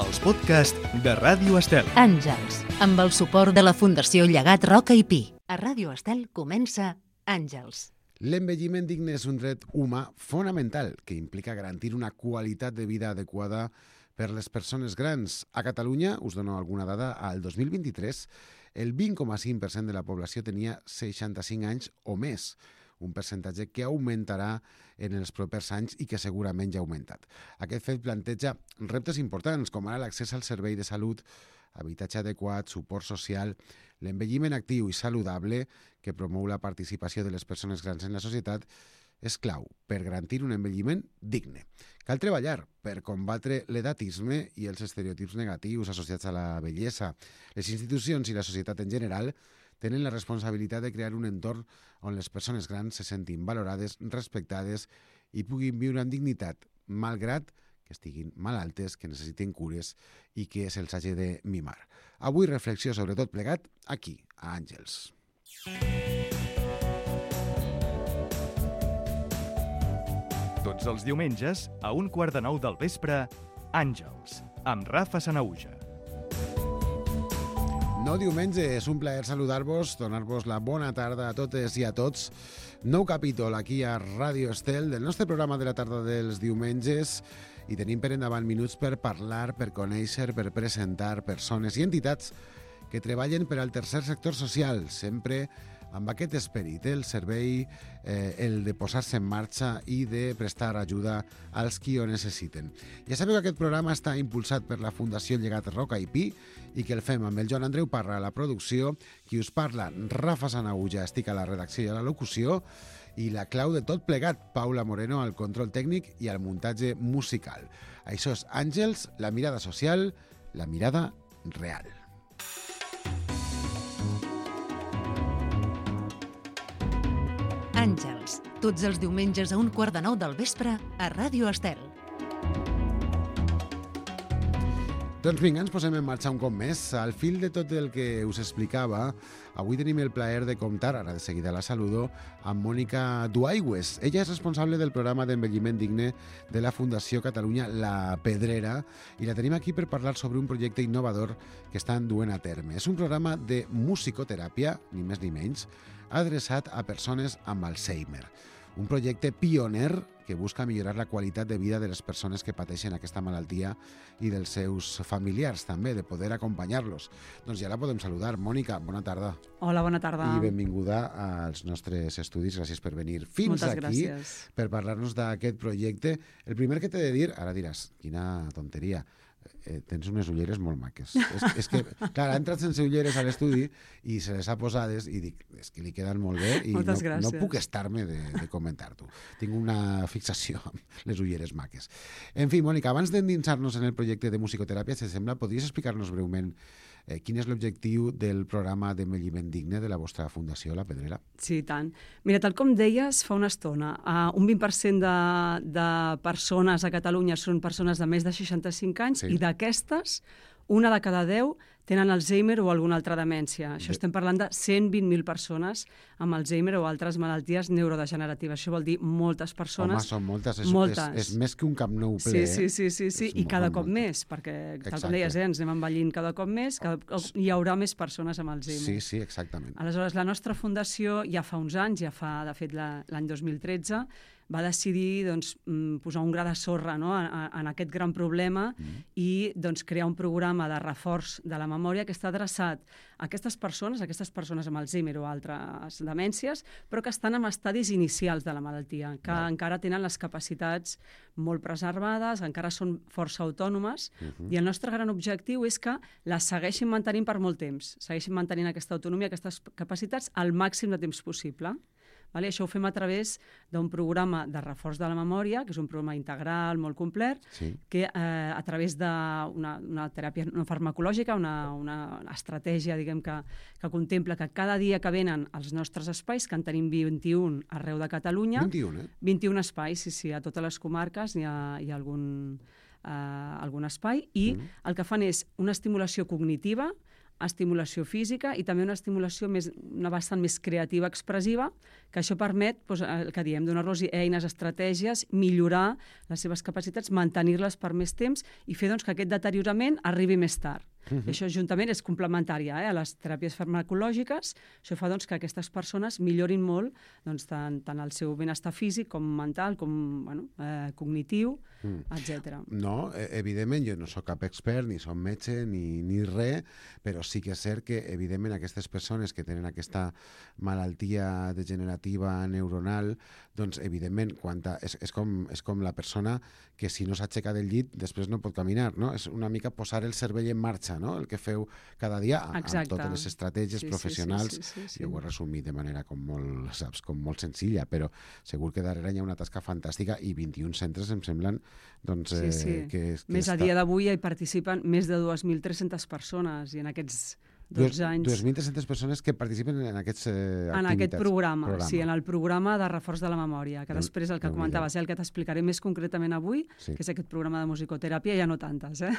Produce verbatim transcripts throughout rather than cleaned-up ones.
els podcasts de Ràdio Estel. Àngels, amb el suport de la Fundació Llegat Roca i Pi. A Ràdio Estel comença Àngels. L'envelliment digne és un dret humà fonamental que implica garantir una qualitat de vida adequada per les persones grans. A Catalunya, us dono alguna dada, al dos mil vint-i-tres el vint coma cinc per cent de la població tenia seixanta-cinc anys o més, un percentatge que augmentarà en els propers anys i que segurament ja ha augmentat. Aquest fet planteja reptes importants, com ara l'accés al servei de salut, habitatge adequat, suport social, l'envelliment actiu i saludable que promou la participació de les persones grans en la societat és clau per garantir un envelliment digne. Cal treballar per combatre l'edatisme i els estereotips negatius associats a la bellesa. Les institucions i la societat en general tenen la responsabilitat de crear un entorn on les persones grans se sentin valorades, respectades i puguin viure amb dignitat, malgrat que estiguin malaltes, que necessiten cures i que se'ls hagi de mimar. Avui reflexió sobre tot plegat aquí, a Àngels. Tots els diumenges, a un quart de nou del vespre, Àngels, amb Rafa Sanaüja. Nou diumenge, és un plaer saludar-vos, donar-vos la bona tarda a totes i a tots. Nou capítol aquí a Ràdio Estel del nostre programa de la tarda dels diumenges i tenim per endavant minuts per parlar, per conèixer, per presentar persones i entitats que treballen per al tercer sector social, sempre amb aquest esperit, el servei, eh, el de posar-se en marxa i de prestar ajuda als qui ho necessiten. Ja sabeu que aquest programa està impulsat per la Fundació Llegat Roca i Pi i que el fem amb el Joan Andreu Parra a la producció, qui us parla, Rafa Sanaüja, estic a la redacció i a la locució, i la clau de tot plegat, Paula Moreno, al control tècnic i al muntatge musical. Això és Àngels, la mirada social, la mirada real. Àngels, tots els diumenges a un quart de nou del vespre a Ràdio Estel. Doncs vinga, ens posem en marxa un cop més. Al fil de tot el que us explicava, avui tenim el plaer de comptar, ara de seguida la saludo, amb Mònica Duaigües. Ella és responsable del programa d'envelliment digne de la Fundació Catalunya La Pedrera i la tenim aquí per parlar sobre un projecte innovador que estan duent a terme. És un programa de musicoteràpia, ni més ni menys, adreçat a persones amb Alzheimer. Un projecte pioner que busca millorar la qualitat de vida de les persones que pateixen aquesta malaltia i dels seus familiars també, de poder acompanyar-los. Doncs ja la podem saludar. Mònica, bona tarda. Hola, bona tarda. I benvinguda als nostres estudis. Gràcies per venir fins Moltes aquí gràcies. Per parlar-nos d'aquest projecte. El primer que t'he de dir, ara diràs, quina tonteria, Eh, tens unes ulleres molt maques. és, és que, clar, ha entrat sense ulleres a l'estudi i se les ha posades i dic, és que li queden molt bé i no, no puc estar-me de, de comentar-t'ho. Tinc una fixació amb les ulleres maques. En fi, Mònica, abans d'endinsar-nos en el projecte de musicoteràpia, si sembla, podries explicar-nos breument eh, quin és l'objectiu del programa d'envelliment digne de la vostra Fundació La Pedrera? Sí, tant. Mira, tal com deies fa una estona, uh, un vint per cent de, de persones a Catalunya són persones de més de seixanta-cinc anys, sí. I d'aquestes, una de cada deu tenen Alzheimer o alguna altra demència. Això Bé. Estem parlant de cent vint mil persones amb Alzheimer o altres malalties neurodegeneratives. Això vol dir moltes persones. Home, són moltes. És, moltes. És, és més que un Camp Nou ple. Sí, sí, sí, sí, sí. I cada cop moltes. Més, perquè tal com deies, eh, ens anem envellint cada cop més, cada cop hi haurà més persones amb Alzheimer. Sí, sí, exactament. Aleshores, la nostra fundació ja fa uns anys, ja fa, de fet, l'any dos mil tretze, va decidir doncs, posar un gra de sorra, no?, en, en aquest gran problema mm. i doncs, crear un programa de reforç de la memòria que està adreçat a aquestes persones, a aquestes persones amb Alzheimer o altres demències, però que estan en estadis inicials de la malaltia, que mm. encara tenen les capacitats molt preservades, encara són força autònomes, mm-hmm. i el nostre gran objectiu és que les segueixin mantenint per molt temps, segueixin mantenint aquesta autonomia, aquestes capacitats al màxim de temps possible. Vale? Això ho fem a través d'un programa de reforç de la memòria, que és un programa integral, molt complet, sí. que eh, a través d'una una teràpia no farmacològica, una, una estratègia diguem, que, que contempla que cada dia que venen als nostres espais, que en tenim vint-i-un arreu de Catalunya, vint-i-un, eh? vint-i-un espais, sí, sí, a totes les comarques hi ha, hi ha algun, eh, algun espai, i mm. el que fan és una estimulació cognitiva estimulació física i també una estimulació més, una bastant més creativa, expressiva, que això permet, doncs, el que diem, donar-los eines, estratègies, millorar les seves capacitats, mantenir-les per més temps i fer doncs, que aquest deteriorament arribi més tard. Uh -huh. Això juntament és complementari eh, a les teràpies farmacològiques. Això fa doncs, que aquestes persones millorin molt doncs, tant, tant el seu benestar físic com mental, com bueno, eh, cognitiu, mm. etcètera. No, evidentment, jo no sóc cap expert, ni som metge, ni, ni res, però sí que és cert que, evidentment, aquestes persones que tenen aquesta malaltia degenerativa neuronal, doncs, evidentment, quan ta, és, és, com, és com la persona que si no s'aixeca del llit després no pot caminar, no? És una mica posar el cervell en marxa, no? El que feu cada dia amb, amb totes les estratègies sí, professionals. Sí, sí, sí, sí, sí. Jo ho he resumit de manera com molt, saps, com molt senzilla, però segur que darrere hi ha una tasca fantàstica i vint-i-un centres em semblen doncs, sí, sí. Eh, que, que més està... a dia d'avui hi participen més de dues mil tres-centes persones i en aquests dotze anys... dues mil tres-centes persones que participen en aquestes eh, activitats. En aquest programa, programa, sí, en el programa de reforç de la memòria, que després el que comentaves, eh, el que t'explicaré més concretament avui, sí. que és aquest programa de musicoteràpia, ja no tantes, eh?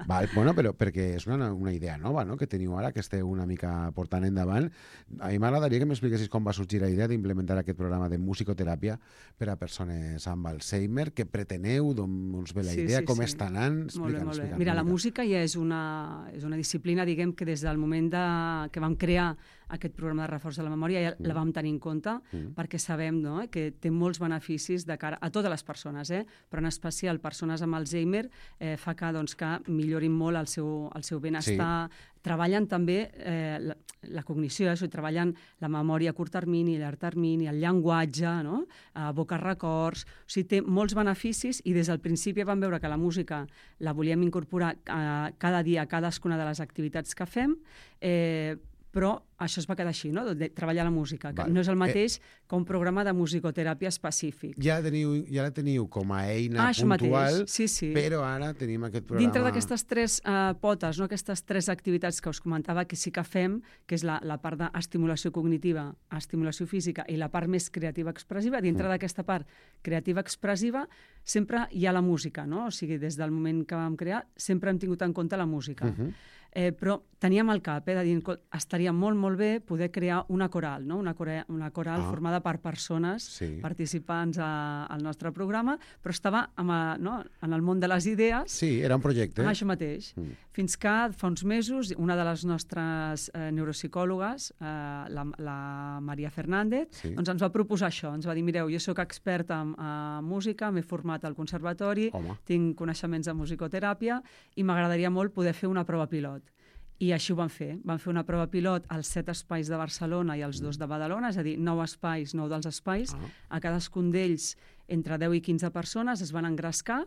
Val, bueno, però perquè és una, una idea nova, no?, que teniu ara, que esteu una mica portant endavant. A mi m'agradaria que m'expliquessis com va sorgir la idea d'implementar aquest programa de musicoteràpia per a persones amb Alzheimer, què preteneu, d'on us ve la idea, sí, sí, com sí. està anant? Molt bé, molt bé. Mira, la música ja és una, és una disciplina, diguem, que des del moment de, que vam crear aquest programa de reforç de la memòria ja mm. la vam tenir en compte mm. perquè sabem no, que té molts beneficis de cara a totes les persones, eh? Però en especial persones amb Alzheimer eh, fa que, doncs, que millorin molt el seu, el seu benestar. Sí. Treballen també eh, la, la cognició, eh? treballen la memòria a curt termini, a llarg termini, el llenguatge, no? Evoca records. O sigui, té molts beneficis i des del principi vam veure que la música la volíem incorporar a, cada dia a cadascuna de les activitats que fem, eh, però això es va quedar així, no?, de treballar la música, que Val. no és el mateix eh, que un programa de musicoteràpia específic. Ja, teniu, ja la teniu com a eina ah, puntual, sí, sí. però ara tenim aquest programa... Dintre d'aquestes tres uh, potes, no?, aquestes tres activitats que us comentava que sí que fem, que és la, la part d'estimulació cognitiva, estimulació física i la part més creativa expressiva, dintre mm. d'aquesta part creativa expressiva sempre hi ha la música, no? O sigui, des del moment que vam crear sempre hem tingut en compte la música. Mm -hmm. Eh, però teníem al cap, eh, de dir, estaria molt, molt bé poder crear una coral, no? una, coral, una coral ah. formada per persones sí. participants a, al nostre programa, però estava amb a, no? en el món de les idees. Sí, era un projecte. Ah, això mateix. Mm. Fins que fa uns mesos una de les nostres eh, neuropsicòlogues, eh, la, la Maria Fernández, sí. doncs ens va proposar això. Ens va dir, mireu, jo sóc experta en, en música, m'he format al conservatori, Home. tinc coneixements de musicoteràpia i m'agradaria molt poder fer una prova pilot. I així ho van fer. Van fer una prova pilot als set espais de Barcelona i als dos de Badalona, és a dir, nou espais, nou dels espais. Ah. A cadascun d'ells, entre deu i quinze persones, es van engrescar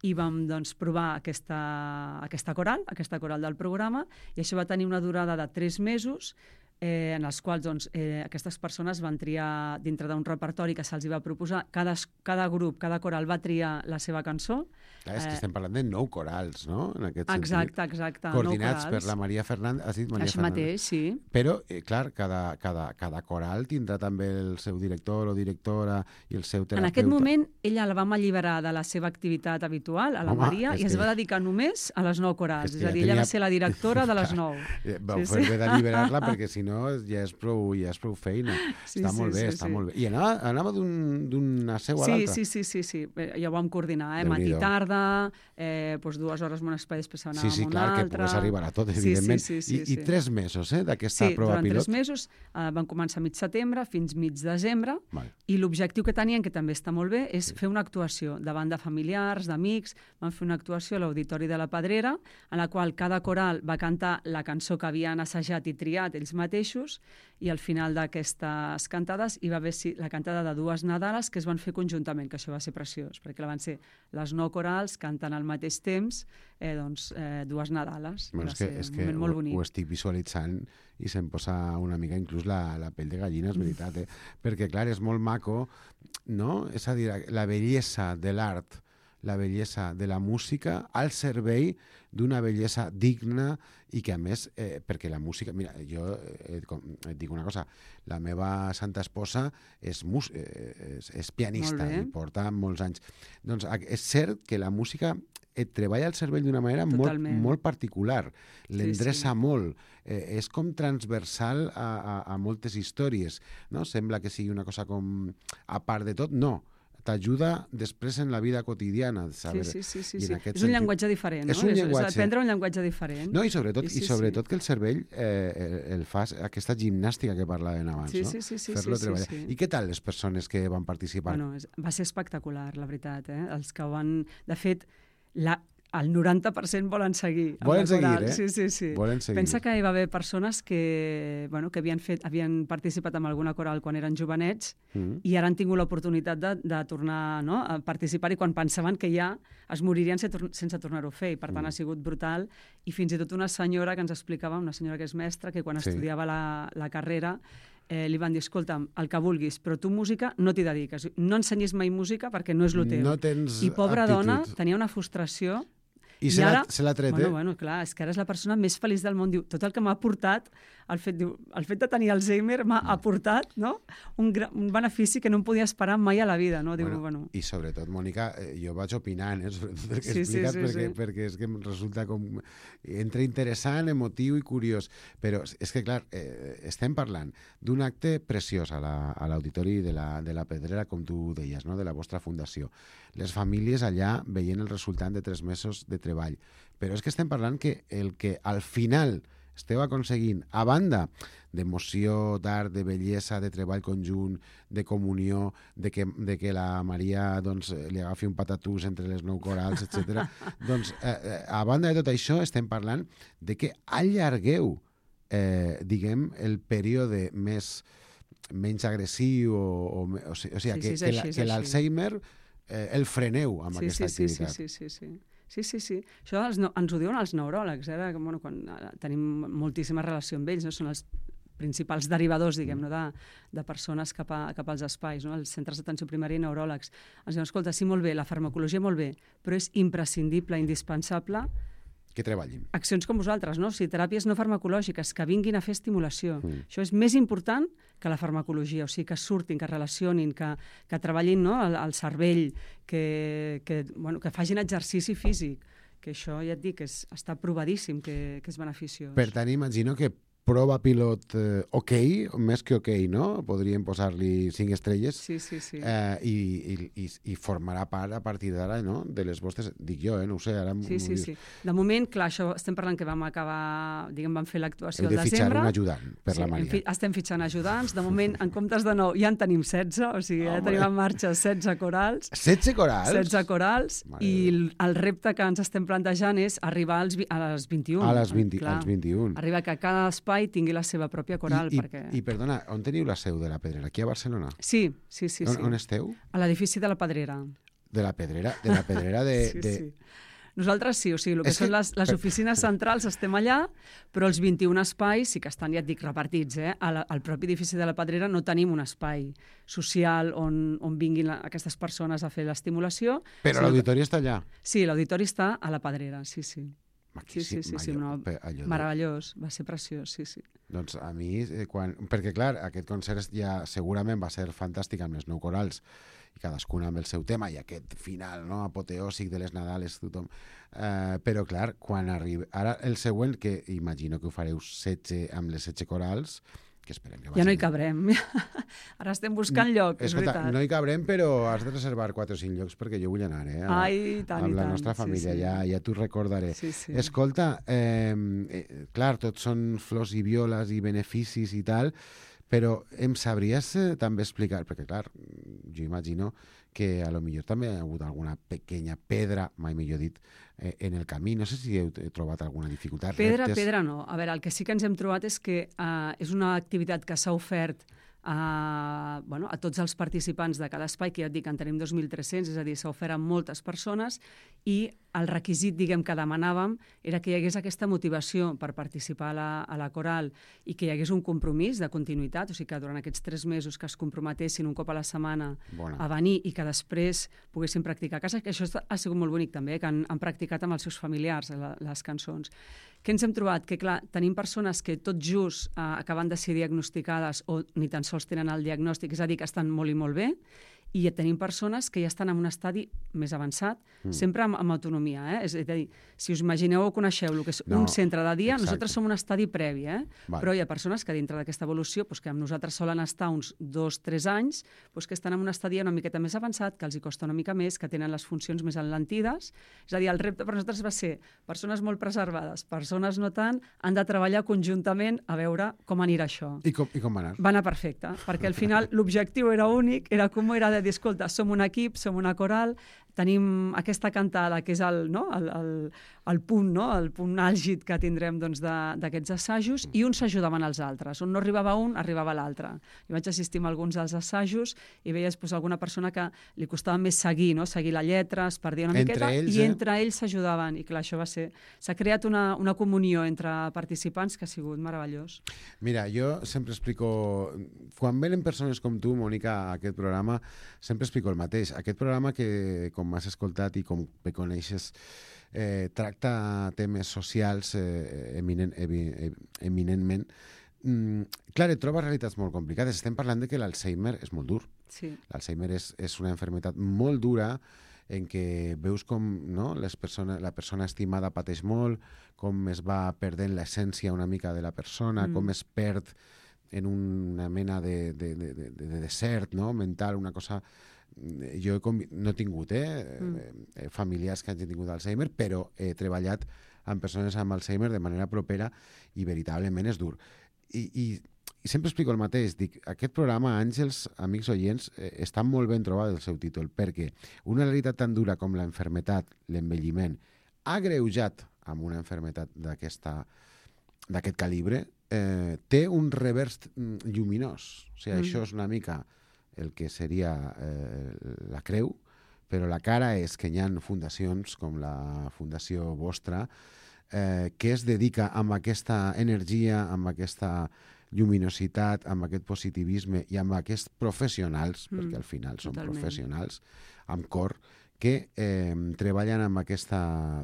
i vam doncs, provar aquesta, aquesta coral, aquesta coral del programa, i això va tenir una durada de tres mesos, eh, en els quals doncs, eh, aquestes persones van triar, dintre d'un repertori que se'ls va proposar, cada, cada grup, cada coral va triar la seva cançó. Clar, és que estem parlant de nou corals, no?, en aquest exacte, sentit. Exacte, coordinats per la Maria Fernández. Has dit Maria Això Fernández. mateix, sí. Però, eh, clar, cada, cada, cada coral tindrà també el seu director o directora i el seu terapeuta. En aquest moment, ella la vam alliberar de la seva activitat habitual, a la Home, Maria, i es que... va dedicar només a les nou corals. És, és a dir, tenia... ella va ser la directora de les nou. Vau sí, fer sí. bé d'alliberar-la perquè, si no, ja és prou, ja és prou feina. Sí, està sí, molt bé, sí, està sí. molt bé. I anava, anava d'una seu a sí, l'altra? Sí, sí, sí, sí. Ja ho vam coordinar, eh? Matí, tarda, eh, doncs dues hores en un espai, després anàvem sí, sí, a un clar, altre. Que pogués arribar a tot, evidentment. Sí, sí, sí, sí, I, sí. I tres mesos eh, d'aquesta sí, prova pilot? Sí, durant tres mesos. Eh, van començar a mig setembre fins mig desembre. Val. I l'objectiu que tenien, que també està molt bé, és sí. fer una actuació davant de familiars, d'amics. Van fer una actuació a l'Auditori de la Pedrera, en la qual cada coral va cantar la cançó que havien assajat i triat ells mateixos, i al final d'aquestes cantades hi va haver la cantada de dues Nadales que es van fer conjuntament, que això va ser preciós, perquè la van ser les nou corals cantant al mateix temps eh, doncs, eh, dues Nadales. Bueno, és que, és que ho, ho estic visualitzant i se'm posa una mica inclús la, la pell de gallina, és veritat, eh? Perquè clar, és molt maco, no? És a dir, la bellesa de l'art la bellesa de la música al servei d'una bellesa digna i que, a més, eh, perquè la música... Mira, jo eh, et dic una cosa, la meva santa esposa és, mus, eh, és, és pianista i porta molts anys. Doncs és cert que la música et treballa el cervell d'una manera molt, molt particular, l'endreça sí, sí. molt, eh, és com transversal a, a, a moltes històries, no? Sembla que sigui una cosa com a part de tot, no. T'ajuda després en la vida quotidiana. Saber, sí, sí, sí. sí, sí. És sentit... un llenguatge diferent, no? És un és, llenguatge... és aprendre un llenguatge diferent. No, i sobretot, sí, sí, i sobretot sí. que el cervell eh, el fa aquesta gimnàstica que parlàvem abans, sí, no? Sí, sí, sí. Fer-lo sí, treballar. sí, sí. I què tal les persones que van participar? Bueno, va ser espectacular, la veritat. Eh? Els que van... De fet, la... el noranta per cent volen seguir. Volen seguir, eh? Sí, sí, sí. Volen seguir. Pensa que hi va haver persones que, bueno, que havien, fet, havien participat en alguna coral quan eren jovenets mm. i ara han tingut l'oportunitat de, de tornar, no?, a participar, i quan pensaven que ja es moririen sense, sense tornar-ho a fer. I, per tant, mm. ha sigut brutal. I fins i tot una senyora que ens explicava, una senyora que és mestra, que quan sí. estudiava la, la carrera eh, li van dir, escolta'm, el que vulguis, però tu música no t'hi dediques. No ensenyis mai música perquè no és el teu. No tens I pobra aptitud. Dona tenia una frustració. I, I se l'ha tret, bueno, eh? Bueno, clar, és que ara és la persona més feliç del món. Diu, tot el que m'ha aportat, el fet, diu, el fet de tenir Alzheimer m'ha mm. aportat, no?, un, un benefici que no em podia esperar mai a la vida, no? Diu, bueno, bueno. I sobretot, Mònica, jo vaig opinant, eh, sobretot el que sí, explicat, sí, sí, perquè, sí. perquè és que em resulta com entre interessant, emotiu i curiós. Però és que, clar, eh, estem parlant d'un acte preciós a l'Auditori la, de, la, de la Pedrera, com tu deies, no?, de la vostra fundació. Les famílies allà veient el resultat de tres mesos de treball. Però és que estem parlant que el que al final esteu aconseguint, a banda d'emoció, d'art, de bellesa, de treball conjunt, de comunió, de que, de que la Maria doncs, li agafi un patatús entre les nou corals, etcètera. Doncs, eh, a banda de tot això, estem parlant de que allargueu, eh, diguem, el període més, menys agressiu, o, o, o, o sigui, sí, que, sí, que, que l'Alzheimer eh, el freneu amb sí, aquesta sí, activitat. Sí, sí, sí, sí. Sí, sí, sí. Això els, no, ens ho diuen els neuròlegs, eh? Que, bueno, quan tenim moltíssima relació amb ells, no? Són els principals derivadors, diguem, no? de, de persones cap, a, cap als espais, no? Els centres d'atenció primària i neuròlegs. Ens diuen, escolta, sí, molt bé, la farmacologia molt bé, però és imprescindible, indispensable que treballin. Accions com vosaltres, no? O sigui, teràpies no farmacològiques, que vinguin a fer estimulació. Mm. Això és més important que la farmacologia, o sigui, que surtin, que relacionin, que, que treballin, no?, el, el cervell, que, que, bueno, que facin exercici físic, que això, ja et dic, és, està provadíssim que, que és beneficiós. Per tant, imagino que prova pilot eh, ok, més que ok, no? Podríem posar-li cinc estrelles. Sí, sí, sí. Eh, i, i, i, I formarà part a partir d'ara, no?, de les vostres... Dic jo, eh? No ho sé, ara... Sí, sí, sí. De moment, clar, això estem parlant que vam acabar... Diguem, vam fer l'actuació al desembre. Heu de fitxar un ajudant per sí, la Maria. Fi, estem fitxant ajudants. De moment, en comptes de nou, ja en tenim setze, o sigui, ja tenim en marxa setze corals. setze corals? setze corals. Mare I el, el repte que ens estem plantejant és arribar als, a les vint-i-un. A les vint, als vint-i-un. Arribar que cada espai tingui la seva pròpia coral. I, perquè... i, i perdona, on teniu la seu de la Pedrera? Aquí a Barcelona? Sí, sí, sí. On, sí. on esteu? A l'edifici de la Pedrera. De la Pedrera? De la Pedrera de... sí, de... sí. Nosaltres sí, o sigui, el que és són que... les, les oficines centrals estem allà, però els vint-i-un espais sí que estan, ja et dic, repartits. Eh? Al, al propi edifici de la Pedrera no tenim un espai social on, on vinguin la, aquestes persones a fer l'estimulació. Però l'auditori que... està allà? Sí, l'auditori està a la Pedrera, sí, sí. Aquí, sí, sí, sí, sí, allò, no, allò meravellós, va ser preciós, sí, sí. Doncs a mi, eh, quan... perquè clar, aquest concert ja segurament va ser fantàstic amb les nou corals, i cadascuna amb el seu tema, i aquest final, no?, apoteòsic de les Nadales, tothom. Uh, però clar, quan arriba... Ara el següent, que imagino que ho fareu setze amb les setze corals, que esperem que vagin... Ja no hi cabrem. Ara estem buscant lloc, és Escolta, veritat. no hi cabrem, però has de reservar quatre o cinc llocs perquè jo vull anar, eh? A, Ai, tant, amb i la tant. nostra família, sí, sí. ja, ja t'ho recordaré. Sí, sí. Escolta, eh, eh, clar, tots són flors i violes i beneficis i tal, però em sabries eh, també explicar, perquè clar, jo imagino que a lo millor també hi ha hagut alguna pequeña pedra, mai millor dit, eh, en el camí. No sé si heu trobat alguna dificultat. Pedra, reptes. pedra no. A veure, el que sí que ens hem trobat és que uh, és una activitat que s'ha ofert a, bueno, a tots els participants de cada espai, que ja et dic, en tenim dos mil tres-cents, és a dir, s'ha ofert a moltes persones, i el requisit, diguem, que demanàvem era que hi hagués aquesta motivació per participar a la, a la coral i que hi hagués un compromís de continuïtat, o sigui que durant aquests tres mesos que es comprometessin un cop a la setmana Bona. a venir i que després poguessin practicar a casa, que això ha sigut molt bonic també, que han, han practicat amb els seus familiars la, les cançons. Què ens hem trobat? Que, clar, tenim persones que tot just eh, acaben de ser diagnosticades o ni tan sols tenen el diagnòstic, és a dir, que estan molt i molt bé, i tenim persones que ja estan en un estadi més avançat, mm. sempre amb, amb autonomia. Eh? És a dir, si us imagineu o coneixeu el que és no, un centre de dia, exacte. Nosaltres som un estadi previ, eh? Vale. Però hi ha persones que dintre d'aquesta evolució, doncs, que amb nosaltres solen estar uns dos, tres anys, doncs, que estan en un estadi una miqueta més avançat, que els hi costa una mica més, que tenen les funcions més enlentides. És a dir, el repte per nosaltres va ser persones molt preservades, persones no tant, han de treballar conjuntament a veure com anirà això. I com, i com va anar? Va anar perfecte, perquè al final l'objectiu era únic, era com era de dir, escolta, som un equip, som una coral, tenim aquesta cantada que és el, no? el, el, el punt, no? el punt àlgid que tindrem doncs, d'aquests assajos, i uns s'ajudaven als altres. On no arribava un, arribava l'altre. Jo vaig assistir a alguns dels assajos i veies doncs, alguna persona que li costava més seguir, no? seguir la lletra, es perdia una entre miqueta, ells, i eh? entre ells s'ajudaven. I clar, això va ser... S'ha creat una, una comunió entre participants que ha sigut meravellós. Mira, jo sempre explico... Quan venen persones com tu, Mònica, a aquest programa, sempre explico el mateix. Aquest programa que, com m'has escoltat i com me coneixes, eh, tracta temes socials eh, eminent, eminentment. Mm, clar, et trobes realitats molt complicades. Estem parlant de que l'Alzheimer és molt dur. Sí. L'Alzheimer és, és una malaltia molt dura en què veus com no, les persones, la persona estimada pateix molt, com es va perdent l'essència una mica de la persona, mm. com es perd en una mena de, de, de, de, de desert no? mental, una cosa... Jo he convi... no he tingut eh? Mm. familiars que hagin tingut Alzheimer, però he treballat amb persones amb Alzheimer de manera propera i veritablement és dur. I, i, i sempre explico el mateix, dic, aquest programa, Àngels, amics oients, eh, està molt ben trobat el seu títol, perquè una realitat tan dura com la enfermetat, l'envelliment, agreujat amb una enfermetat d'aquesta d'aquest calibre, eh, té un revers lluminós. O sigui, mm. això és una mica el que seria eh, la creu, però la cara és que hi ha fundacions com la fundació vostra eh, que es dedica amb aquesta energia, amb aquesta lluminositat, amb aquest positivisme i amb aquests professionals, mm. perquè al final són Totalment. professionals, amb cor, que eh, treballen amb aquesta,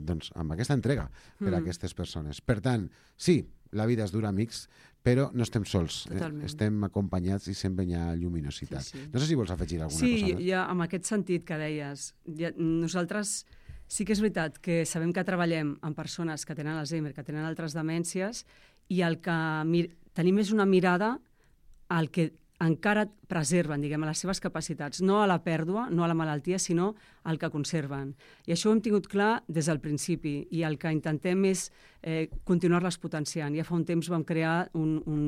doncs, amb aquesta entrega per mm. a aquestes persones. Per tant, sí, la vida és dura, amics, però no estem sols, eh? Estem acompanyats i sempre hi ha lluminositat. Sí, sí. No sé si vols afegir alguna sí, cosa més. Sí, ja, en aquest sentit que deies, ja, nosaltres sí que és veritat que sabem que treballem amb persones que tenen Alzheimer, que tenen altres demències, i el que tenim és una mirada al que encara preserven, diguem, a les seves capacitats, no a la pèrdua, no a la malaltia, sinó al que conserven. I això ho hem tingut clar des del principi, i el que intentem és eh, continuar-les potenciant. Ja fa un temps vam crear un, un,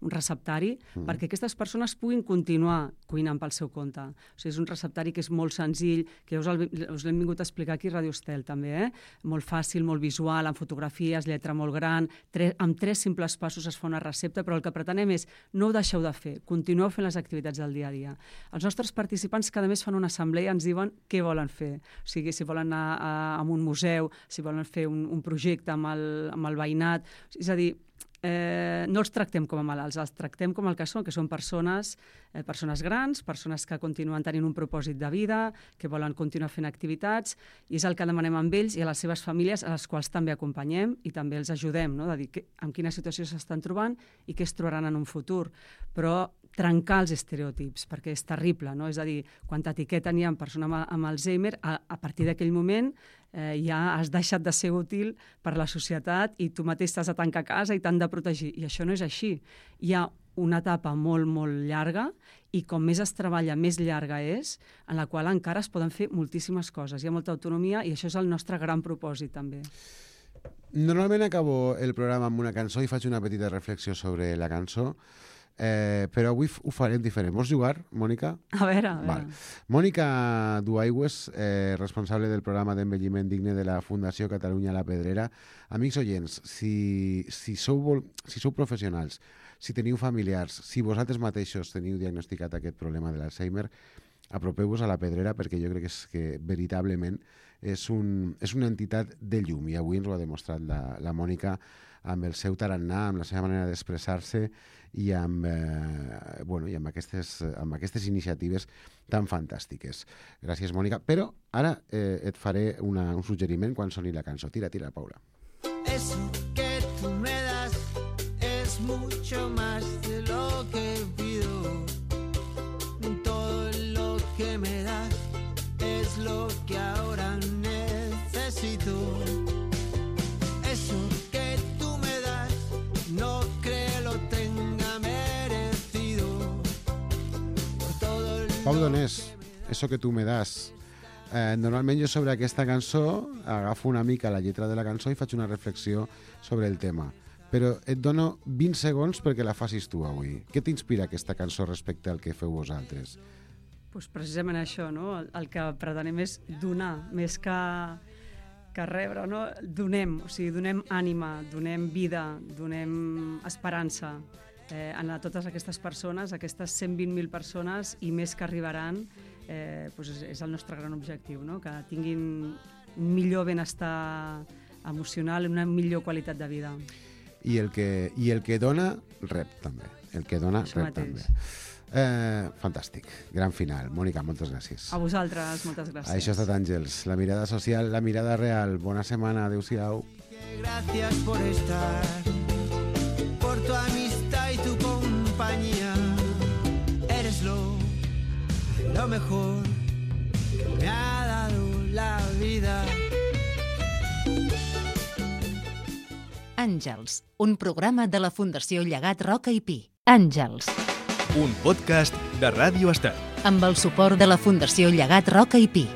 un receptari mm. perquè aquestes persones puguin continuar cuinant pel seu compte. O sigui, és un receptari que és molt senzill, que us, el, us l'hem vingut a explicar aquí a Radio Estel, també, eh? Molt fàcil, molt visual, amb fotografies, lletra molt gran, tre amb tres simples passos es fa una recepta, però el que pretenem és no ho deixeu de fer, continueu fent les activitats del dia a dia. Els nostres participants cada mes fan una assemblea i ens diuen què volen fer. O sigui, si volen anar a, a un museu, si volen fer un, un projecte amb el, amb el veïnat. És a dir, eh, no els tractem com a malalts, els tractem com el que són, que són persones, eh, persones grans, persones que continuen tenint un propòsit de vida, que volen continuar fent activitats, i és el que demanem amb ells i a les seves famílies, a les quals també acompanyem i també els ajudem, no? De dir que, en quina situació s'estan trobant i què es trobaran en un futur. Però trencar els estereotips, perquè és terrible, no? És a dir, quan t'etiqueten ja en persona amb, amb Alzheimer, a, a partir d'aquell moment eh, ja has deixat de ser útil per la societat i tu mateix t'has de tancar a casa i t'han de protegir. I això no és així. Hi ha una etapa molt, molt llarga i com més es treballa, més llarga és, en la qual encara es poden fer moltíssimes coses. Hi ha molta autonomia i això és el nostre gran propòsit, també. Normalment acabo el programa amb una cançó i faig una petita reflexió sobre la cançó. eh, però avui ho farem diferent. Vols jugar, Mònica? A veure, a veure. Val. Mònica Duaigües, eh, responsable del programa d'envelliment digne de la Fundació Catalunya La Pedrera. Amics oients, si, si, sou, vol... si sou professionals, si teniu familiars, si vosaltres mateixos teniu diagnosticat aquest problema de l'Alzheimer, apropeu-vos a La Pedrera perquè jo crec que, és, que veritablement és, un, és una entitat de llum i avui ens ho ha demostrat la, la Mònica amb el seu tarannà, amb la seva manera d'expressar-se i amb, eh, bueno, i amb, aquestes, amb aquestes iniciatives tan fantàstiques. Gràcies, Mònica. Però ara eh, et faré una, un suggeriment quan soni la cançó. Tira, tira, Paula. Eso que tú me das es mucho más de lo que pido. Todo lo que me das es lo que ahora necesito. Eso que tú me das no creo lo tenga merecido. Por todo lo Pau Donés, eso que tu me das. Eh, normalment jo sobre aquesta cançó agafo una mica la lletra de la cançó i faig una reflexió sobre el tema. Però et dono vint segons perquè la facis tu avui. Què t'inspira aquesta cançó respecte al que feu vosaltres? Pues precisament això, no? El, el que pretenem és donar, més que, que rebre, no? Donem, o sigui, donem ànima, donem vida, donem esperança eh, a totes aquestes persones, aquestes cent vint mil persones i més que arribaran. Eh, doncs és, és el nostre gran objectiu, no? Que tinguin un millor benestar emocional i una millor qualitat de vida. I el que, i el que dona, rep també. El que dona, Això rep mateix. també. Eh, fantàstic. Gran final. Mònica, moltes gràcies. A vosaltres, moltes gràcies. Això ha estat Àngels. La mirada social, la mirada real. Bona setmana. Adéu-siau. gracias por estar, por tu amistad y tu compañía. Eres lo, lo mejor que me ha dado la vida. Àngels, un programa de la Fundació Llegat Roca i Pi. Àngels, Un podcast de Ràdio Estel. amb el suport de la Fundació Llegat Roca i Pi.